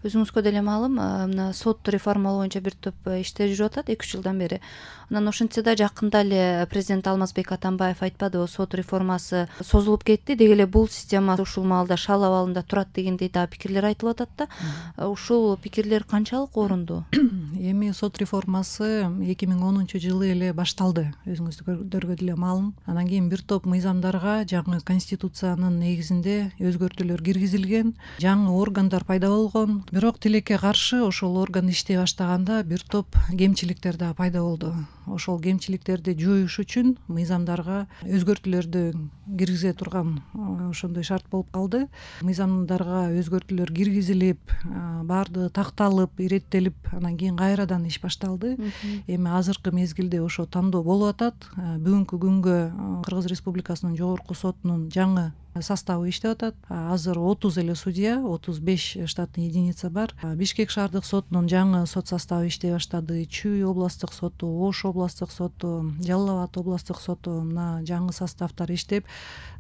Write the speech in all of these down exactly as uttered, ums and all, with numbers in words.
Өзүңүзгө деле маалым, мына сот реформалоо боюнча бир топ иштер жүрүп атат эки үч жылдан бери. Анан ошентсе да жакында эле президент Алмазбек Атамбаев айтпадыбы, сот реформасы созулуп кетти, деги эле бул система ушул маалда шал абалында турат дегендей дагы пикирлер айтылып атат да. Ушул пикирлер канчалык орунду? Эми сот реформасы эки миң онунчу жылы эле башталды, өзүңүздөргө деле маалым. Анан кийин бир топ мыйзамдарга жаңы конституциянын негизинде өзгөртүүлөр киргизилген, жаңы органдар пайда болгон. Бирок тилекке каршы ошол орган иштей баштаганда бир топ кемчиликтер да пайда болду. Ошол кемчиликтерди жоюш үчүн мыйзамдарга өзгөртүүлөрдү киргизе турган ошондой шарт болуп калды. Мыйзамдарга өзгөртүүлөр киргизилип, баардыгы такталып, иреттелип, анан кийин кайрадан иш башталды. Эми азыркы мезгилде ошо тандоо болуп атат. Бүгүнкү күнгө Кыргыз Республикасынын жогорку сотунун жаңы составы иштеп атат. Азыр отуз эле судья, отуз беш штатный единица бар. Бишкек шаардык сотунун жаңы сот составы иштей баштады. Чүй областтык соту, Ош областтык соту, Жалал абад областтык соту мына жаңы составтар иштеп,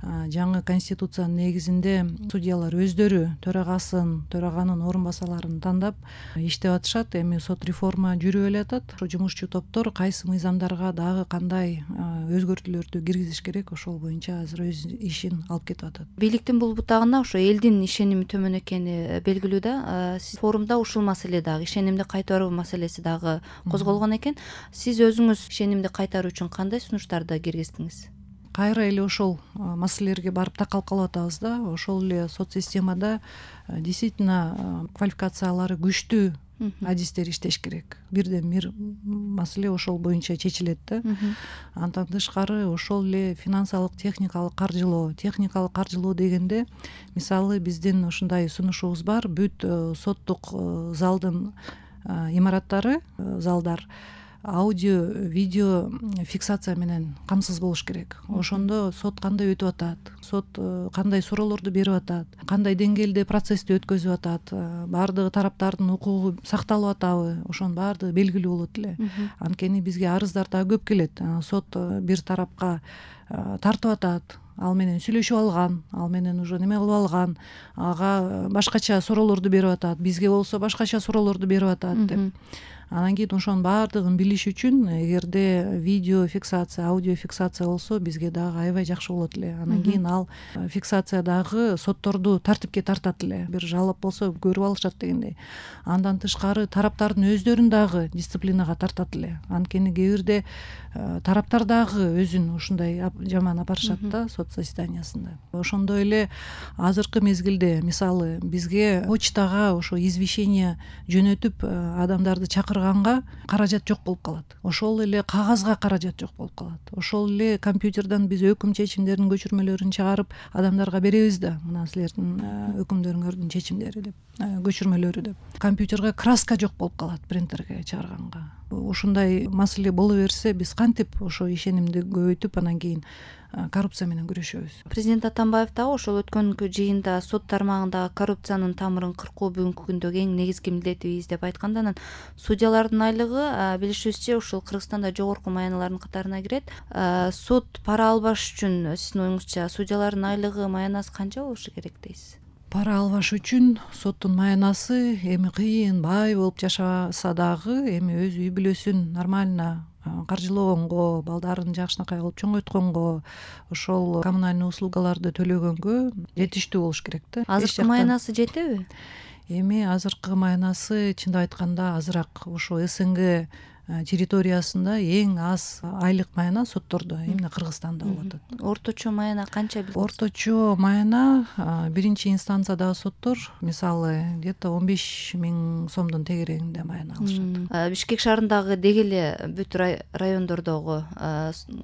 жаңы конституциянын негизинде судьялар өздөрү төрагасын, төраганын орун басарларын тандап иштеп атышат. Эми сот реформа жүрүп эле атат. Ошо жумушчу топтор кайсы мыйзамдарга дагы кандай өзгөртүүлөрдү киргизиш керек, ошол боюнча азыр өз ишин алып кетип атат. Бийликтин бул бутагына ошо элдин ишеними төмөн экени белгилүү да. Сиз форумда ушул маселе дагы, ишенимди кайтаруу маселеси дагы козголгон экен. Сиз өзүңүз ишенимди кайтаруу үчүн кандай сунуштарды киргиздиңиз? Кайра эле ошол маселелерге барып такалып калып атабыз да. Ошол эле сот системада действительно квалификациялары күчтүү адистер иштеш керек. Бирден бир маселе ошол боюнча чечилет да. Андан тышкары ошол эле финансылык, техникалык каржылоо. Техникалык каржылоо дегенде, мисалы биздин ушундай сунушубуз бар. Бүт соттук залдын имараттары, залдар аудио, видео фиксация менен камсыз болуш керек. Ошондо сот кандай өтүп атат, сот кандай суроолорду берип атат, кандай деңгээлде процессти өткөзүп атат, баардыгы тараптардын укугу сакталып атабы, ошонун баардыгы белгилүү болот эле. Анткени бизге арыздар дагы көп келет. Сот бир тарапка тартып атат, ал менен сүйлөшүп алган, ал менен уже неме кылып алган, ага башкача суроолорду берип атат, бизге болсо башкача суроолорду берип атат деп. Анан кийин ошонун баардыгын билиш үчүн эгерде видео фиксация, аудио фиксация болсо бизге дагы аябай жакшы болот эле. Анан кийин ал фиксация дагы сотторду тартипке тартат эле. Бир жалоп болсо көрүп алышат дегендей. Андан тышкары тараптардын өздөрүн дагы дисциплинага тартат эле. Анткени кээ бирде тараптар дагы өзүн ушундай жаман апарышат да сот заседаниясында. Ошондой эле азыркы мезгилде мисалы бизге почтага ошо извещение жөнөтүп адамдарды чакырганга каражат жок болуп калат. Ошол эле кагазга каражат жок болуп калат. Ошол эле компьютерден биз өкүм чечимдеринин көчүрмөлөрүн чыгарып адамдарга беребиз да, мына силердин өкүмдөрүңөрдүн чечимдери деп, көчүрмөлөрү деп. Компьютерге краска жок болуп калат принтерге чыгарганга. Ушундай маселе боло берсе, биз кантип ошо ишенимди көбөйтүп анан кийин коррупция менен күрөшөбүз. Президент Атамбаев дагы ошол өткөнкү жыйында сот тармагындагы коррупциянын тамырын кыркуу бүгүнкү күндөгү эң негизги милдетибиз деп айтканда, анан судьялардын айлыгы билишибизче ушул Кыргызстанда жогорку маяналардын катарына кирет. Сот пара албаш үчүн сиздин оюңузча судьялардын айлыгы, маянасы канча болушу керек дейсиз? Пара албаш үчүн соттун маянасы эми кыйын, бай болуп жашаса дагы, эми өз үй бүлөсүн нормально каржылогонго, балдарын жакшынакай кылып чоңойтконго, ошол коммунальный услугаларды төлөгөнгө жетиштүү болуш керек да. Азыркы маянасы жетеби? Эми азыркы маянасы чындап айтканда азыраак. Ошо СНГ территориясында эң аз айлык маяна соттордо эмне Кыргызстанда болуп атат. Орточо маяна канча билесиз? Орточо маяна биринчи инстанциядагы соттор мисалы где-то он беш миң сомдун тегерегинде маяна алышат. Бишкек шаарындагы деги эле бүт райондордогу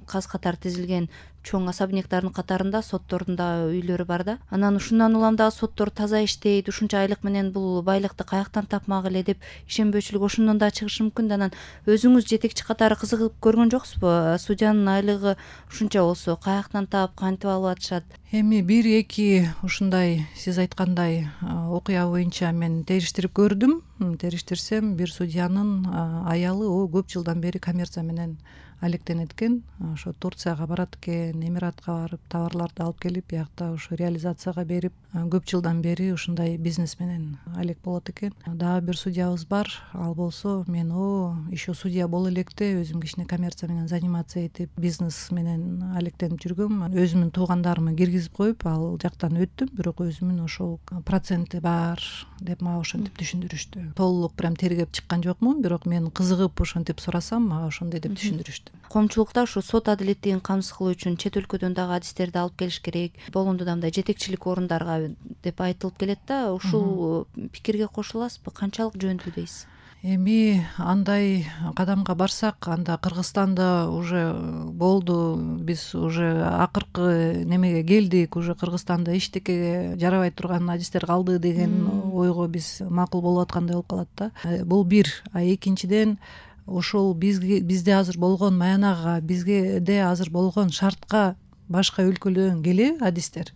каз катар тизилген чоң особняктардын катарында соттордун да үйлөрү бар да. Анан ушундан улам дагы соттор таза иштейт, ушунча айлык менен бул байлыкты каяктан тапмак эле деп ишенбөөчүлүк ошондон да чыгышы мүмкүн да. Анан өзүңүз жетекчи катары кызыгып көргөн жоксузбу? Судьянын айлыгы ушунча болсо каяктан таап, кантип алып атышат? Эми бир эки ушундай сиз айткандай окуя боюнча мен териштирип көрдүм. Териштирсем бир судьянын аялы о көп жылдан бери коммерция менен алектенет экен. Ошо Турцияга барат экен, Эмиратка барып товарларды алып келип, биякта ошо реализацияга берип, көп жылдан бери ушундай бизнес менен алек болот экен. Дагы бир судьябыз бар, ал болсо мен о еще судья боло электе өзүм кичине коммерция менен заниматься этип бизнес менен алектенип жүргөм. Өзүмдүн туугандарымы киргизип коюп ал жактан өттүм, бирок өзүмүн ошол проценти бар деп мага ошентип түшүндүрүштү. Толук прям тергеп чыккан жокмун, бирок мен кызыгып ошентип сурасам мага ошондой деп түшүндүрүштү. Коомчулукта ушу сот адилеттигин камсыз кылуу үчүн чет өлкөдөн дагы адистерди алып келиш керек, болгондо да мындай жетекчилик орундарга деп айтылып келет да, ушул пикирге кошуласызбы? Канчалык жөнүндүү дейсиз? Эми андай кадамга барсак, анда Кыргызстанда уже болду, биз уже акыркы немеге келдик, уже Кыргызстанда эчтекеге жарабай турган адистер калды деген ойго биз макул болуп аткандай болуп калат да. Бул бир. А экинчиден ошол бизге бизде азыр болгон маянага, бизге азыр болгон шартка башка өлкөлөрдөн келеби адистер?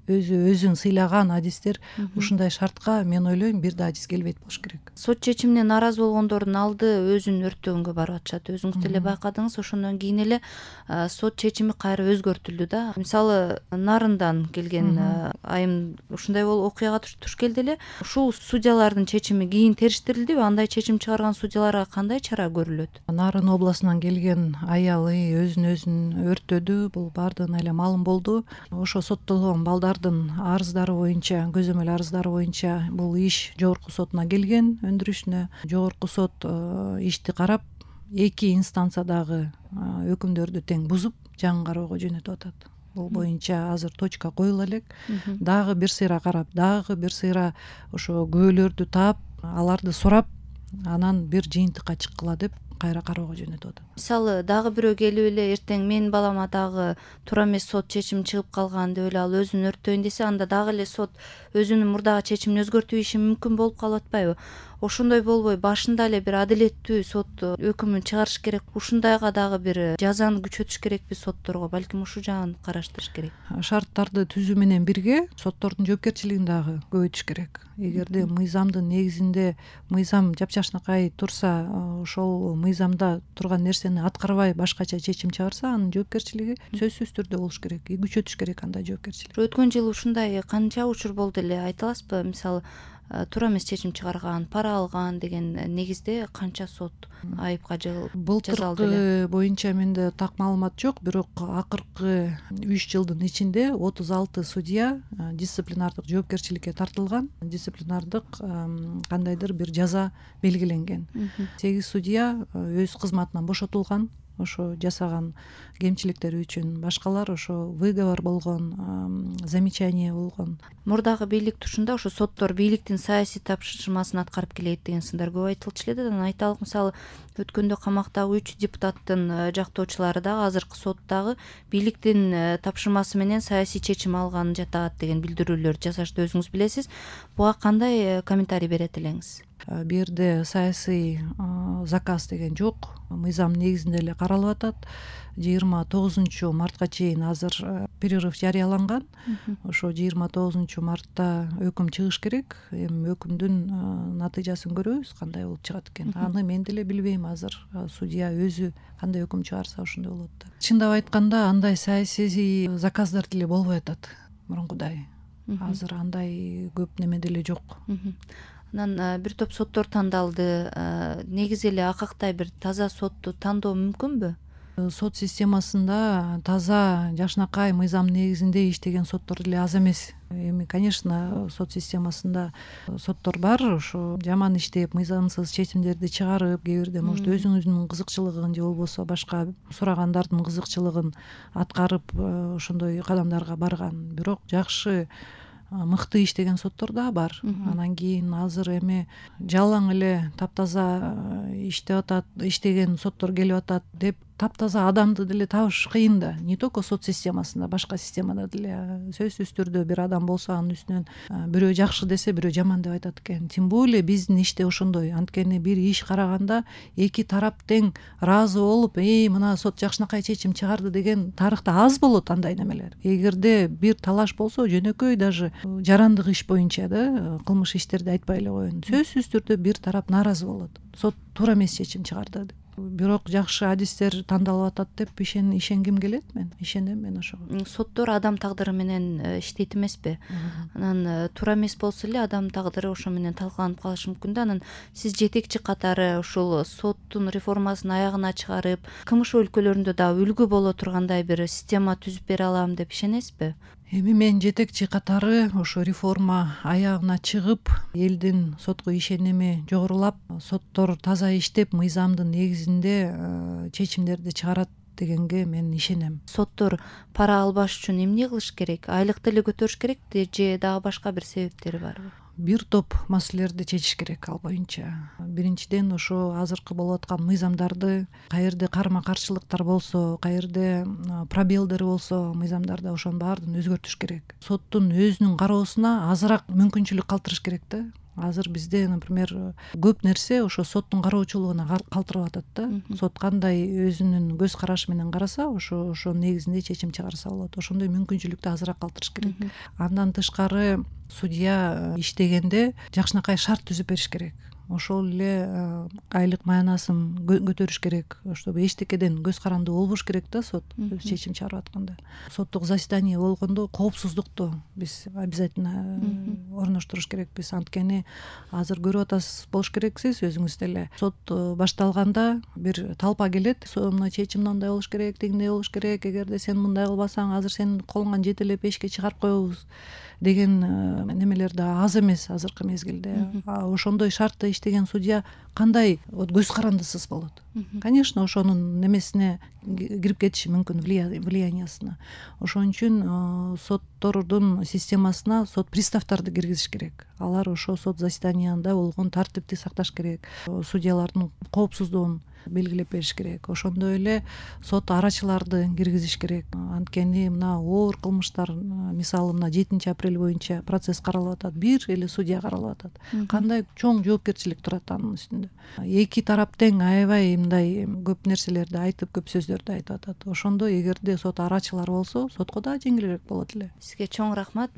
Өзү өзүн сыйлаган адистер ушундай шартка мен ойлойм бир да адис келбейт болуш керек. Сот чечимине нааразы болгондордун алды өзүн өрттөгөнгө барып атышат. Өзүңүз деле байкадыңыз, ошондон кийин эле сот чечими кайра өзгөртүлдү да. Мисалы Нарындан келген айым ушундай болуп окуяга туш келди эле. Ушул судьялардын чечими кийин териштирилдиби? Андай чечим чыгарган судьяларга кандай чара көрүлөт? Нарын областынан келген аялы өзүн өзүн өрттөдү. Бул баардыгына эле маалым болду. Ошо соттолгон балдар арыздары боюнча, көзөмөл арыздары боюнча бул иш жогорку сотуна келген өндүрүшүнө. Жогорку сот ишти карап, эки инстанциядагы өкүмдөрдү тең бузуп, жаңы кароого жөнөтүп атат. Бул боюнча азыр точка коюла элек. Дагы бир сыйра карап, дагы бир сыйра ошо күбөлөрдү таап, аларды сурап, анан бир жыйынтыкка чыккыла деп кайра кароого жөнөтүп атат. Мисалы дагы бирөө келип эле эртең менин балама дагы туура эмес сот чечими чыгып калган деп эле ал өзүн өрттөйүн десе, анда дагы эле сот өзүнүн мурдагы чечимин өзгөртүп ийиши мүмкүн болуп калып атпайбы? Ошондой болбой башында эле бир адилеттүү сот өкүмүн чыгарыш керек. Ушундайга дагы бир жазаны күчөтүш керекпи сотторго? Балким ушул жагын караштырыш керек. Шарттарды түзүү менен бирге соттордун жоопкерчилигин дагы көбөйтүш керек. Эгерде мыйзамдын негизинде мыйзам жапжашнакай турса, ошол мыйзамда турган нерсени аткарбай башкача чечим чыгарса, анын жоопкерчилиги сөзсүз түрдө болуш керек. И күчөтүш керек андай жоопкерчилик. Өткөн жылы ушундай канча учур болду эле айта аласызбы? Мисалы туура эмес чечим чыгарган, пара алган деген негизде канча сот айыпка жазалды эле? Былтыркы боюнча менде так маалымат жок, бирок акыркы үч жылдын ичинде отуз алты судья дисциплинардык жоопкерчиликке тартылган, дисциплинардык кандайдыр бир жаза белгиленген. сегиз судья өз кызматынан бошотулган, ошо жасаган кемчиликтери үчүн. Башкалар ошо выговор болгон, замечание болгон. Мурдагы бийлик тушунда ошо соттор бийликтин саясий тапшырмасын аткарып келет деген сындар көп айтылчу эле да. Айталык, мисалы өткөндө камактагы үч депутаттын жактоочулары дагы азыркы сотдагы бийликтин тапшырмасы менен саясий чечим алган жатат деген билдирүүлөр жасашты, өзүңүз билесиз. Буга кандай комментарий берет элеңиз? Бу жерде саясий заказ деген жок, мыйзам негизинде эле каралып атат. жыйырма тогузунчу мартка чейин азыр перерыв жарыяланган. Ошо жыйырма тогузунчу мартта өкүм чыгыш керек. Эми өкүмдүн натыйжасын көрөбүз, кандай болуп чыгат экен. Аны мен деле билбейм азыр. Судья өзү кандай өкүм чыгарса ошондой болот да. Чындап айтканда андай саясий заказдар деле болбой атат мурункудай. Азыр андай көп неме деле жок. Анан бир топ соттор тандалды. Негизи эле акактай бир таза сотту тандоо мүмкүнбү? Сот системасында таза, жакшынакай мыйзам негизинде иштеген соттор деле аз эмес. Эми, конечно, сот системасында соттор бар, ошо жаман иштеп, мыйзамсыз чечимдерди чыгарып, кээ бирде может өзүңүздүн кызыкчылыгын же болбосо башка сурагандардын кызыкчылыгын аткарып ошондой кадамдарга барган. Бирок жакшы, мыкты иштеген соттор да бар. Анан кийин азыр эми жалаң эле таптаза иштеп атат, иштеген соттор келип атат деп таптаза адамды деле табыш кыйын да. Не только сот системасында, башка системада деле сөзсүз түрдө бир адам болсо анын үстүнөн бирөө жакшы десе, бирөө жаман деп айтат экен. Тем более биздин иште ошондой. Анткени бир иш караганда эки тарап тең ыраазы болуп, "Эй, мына сот жакшынакай чечим чыгарды" деген тарыхта аз болот андай немелер. Эгерде бир талаш болсо, жөнөкөй даже жарандык иш боюнча да, кылмыш иштерди айтпай эле коеюн, сөзсүз түрдө бир тарап нааразы болот. Сот туура эмес чечим чыгарды деп. бирок жакшы адистер тандалып атат деп ишен ишенгим келет. Мен ишенем мен ошого. Соттор адам тагдыры менен иштейт эмеспи? Анан туура эмес болсо эле адам тагдыры ошо менен талкаланып калышы мүмкүн да. Анан сиз жетекчи катары ушул соттун реформасын аягына чыгарып, кмш өлкөлөрүндө дагы үлгү боло тургандай бир система түзүп бере алам деп ишенесизби? Эми мен жетекчи катары ошо реформа аягына чыгып, элдин сотко ишеними жогорулап, соттор таза иштеп, мыйзамдын негизинде чечимдерди чыгарат дегенге мен ишенем. Соттор пара албаш үчүн эмне кылыш керек? Айлыкты эле көтөрүш керекпи же дагы башка бир себептери барбы? Бир топ маселелерди чечиш керек ал боюнча. Биринчиден, ошо азыркы болуп аткан мыйзамдарды, каерде карма каршылыктар болсо, каерде пробелдер болсо мыйзамдарда, ошонун баардыгын өзгөртүш керек. Соттун өзүнүн кароосуна азыраак мүмкүнчүлүк калтырыш керек да. Азыр бизде, например, көп нерсе ошо соттун кароочулугуна калтырып атат да. Сот кандай өзүнүн көз карашы менен караса, ошо ошонун негизинде чечим чыгарса болот. Ошондой мүмкүнчүлүктү азыраак калтырыш керек. Андан тышкары, судья иштегенде жакшынакай шарт түзүп бериш керек. Ошол эле айлык маянасын көтөрүш керек, чтобы эчтекеден көз карандуу болбош керек да сот чечим чыгарып атканда. Соттук заседание болгондо коопсуздукту биз обязательно орноштуруш керекпиз. Анткени азыр көрүп атасыз, болуш керексиз өзүңүз деле. Сот башталганда бир талпа келет, мына чечим мындай болуш керек, тигиндей болуш керек, эгерде сен мындай кылбасаң азыр сенин колуңан жетелеп эшикке чыгарып коебуз деген немелер да аз эмес азыркы мезгилде. Ошондой шартта иштеген судья кандай көз карандысыз болот? Конечно, ошонун немесине кирип кетиши мүмкүн, влияниясына. Ошон үчүн соттордун системасына сот приставдарды киргизиш керек. Алар ошо сот заседаниясында болгон тартипти сакташ керек. Судьялардын коопсуздугун белгилеп бериш керек. Ошондой эле сот арачыларды киргизиш керек. Анткени мына оор кылмыштар, мисалы мына жетинчи апрель боюнча процесс каралып атат, бир эле судья каралып атат. Кандай чоң жоопкерчилик турат анын үстүндө. Эки тарап тең аябай мындай көп нерселерди айтып, көп сөздөрдү айтып атат. Ошондо эгерде сот арачылар болсо, сотко да жеңилирээк болот эле. Сизге чоң рахмат.